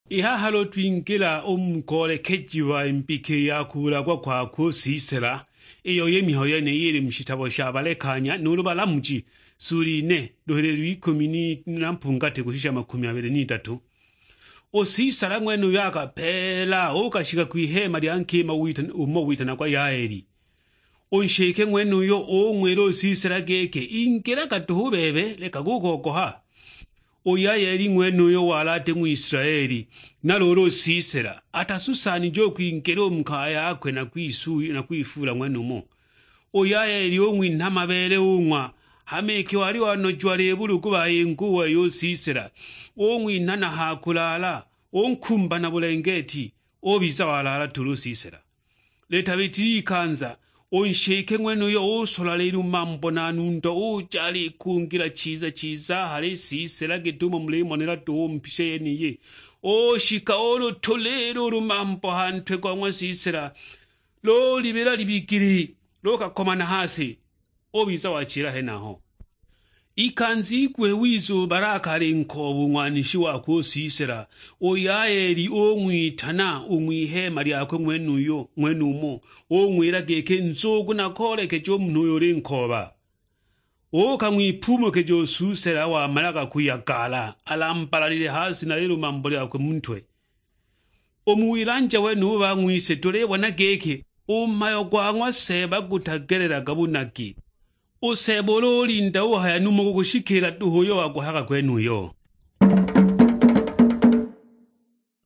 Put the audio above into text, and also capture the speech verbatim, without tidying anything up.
I haha lūtwingīla ū mu koolekejiwa mbika ya kūlagwa kwakwe ū Sisela, īyo ī mihayo yenīyī īlī mu shitabo sha Balekanya nūūlū Balamuji, sūli ine, lūhīlīlo ikūmi na mpungatī kūshisha makūmi abīlī n'itatū. Ū Sisela ng'wenūyo akapeela, ūūkashika kw'iheema lya nkīma ūmo witanagwa Yaeli. Ū nshīke ng'wenūyo ūng'wīla ū Sisela gīkī, "Ingīlaga dūhū bebe, lekaga ū kogoha." Ū Yaeli ng'wenūyo walī atī Ng'wisilaeli, na lūūlū ū Sisela atasusaanije ū kwingīla ū mu kaya yakwe na kwifuula ng'wenūmo. Ū Yaeli ūng'winha mabeele ūng'wa, hama iki walī wanojiwa lībulugu bayīnga ū wei ū Sisela, ūng'winha na ha kūlaala, ūnkumba na būlengeeti, ūbiza walaala tūlū ū Sisela. Lītabītile ikanza, ū nshīke ng'wenūyo ūsola līlū mambo na nundo, ūja alīkūngīla chiza chiza ahale ī Sisela gīt'umo mulīmonela dūhū ū mu pīsha yenīyī. Ūshika ūlūtūlīla ū lūmambo ha ntwe go ng'wa Sisela, lūlibīla libigili, lūkakomana ha sī, ūbiza wachīla henaho. Ikanza iguhī wiza ūbalaka alī nkooba ū ng'wanishi wakwe ū Sisela, ū Yaeli ūng'witana ū ng'wiheema lyakwe ng'wenūyo ng'wenūmo, ūng'wīla gīkī, "Nzūūgu nakoolekeje ū munhū ūyo ūlī nkooba." Ūūka ng'wipumūkīja ū Sisela wamalaga kūyagaala, alambalalile ha sī na līlū mambo lyakwe mu ntwe. Ū mu wilanja wenūbū bang'wise tūlībona gīkī ū mhayo gwa ng'wa Seeba gūtagelelaga būnagi. Ū Seeba ūlū ūlinda ūhaya nūmo gūkūshikīla dūhū ūyo waguhayaga gwenūyo.